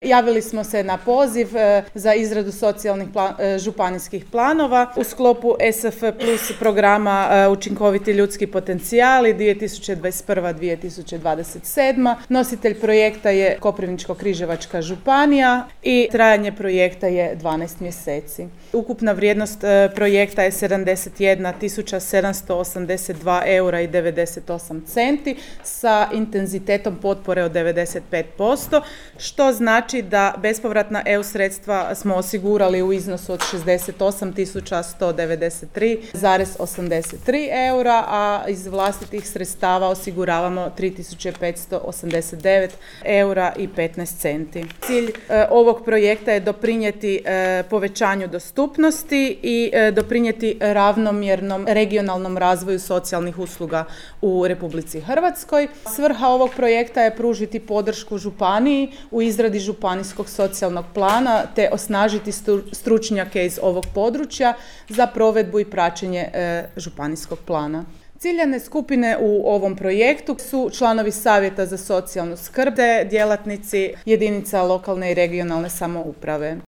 Javili smo se na poziv za izradu socijalnih županijskih planova u sklopu SF plus programa Učinkoviti ljudski potencijali 2021-2027. Nositelj projekta je Koprivničko-križevačka županija i trajanje projekta je 12 mjeseci. Ukupna vrijednost projekta je 71.782 eura i 98 centi sa intenzitetom potpore od 95%, što znači da bespovratna EU sredstva smo osigurali u iznosu od 68.193,83 eura, a iz vlastitih sredstava osiguravamo 3.589 eura i 15 centi. Cilj ovog projekta je doprinijeti povećanju dostupnosti i doprinijeti ravnomjernom regionalnom razvoju socijalnih usluga u Republici Hrvatskoj. Svrha ovog projekta je pružiti podršku županiji u izradi županijskog socijalnog plana te osnažiti stručnjake iz ovog područja za provedbu i praćenje županijskog plana. Ciljane skupine u ovom projektu su članovi Savjeta za socijalnu skrb te djelatnici jedinica lokalne i regionalne samouprave.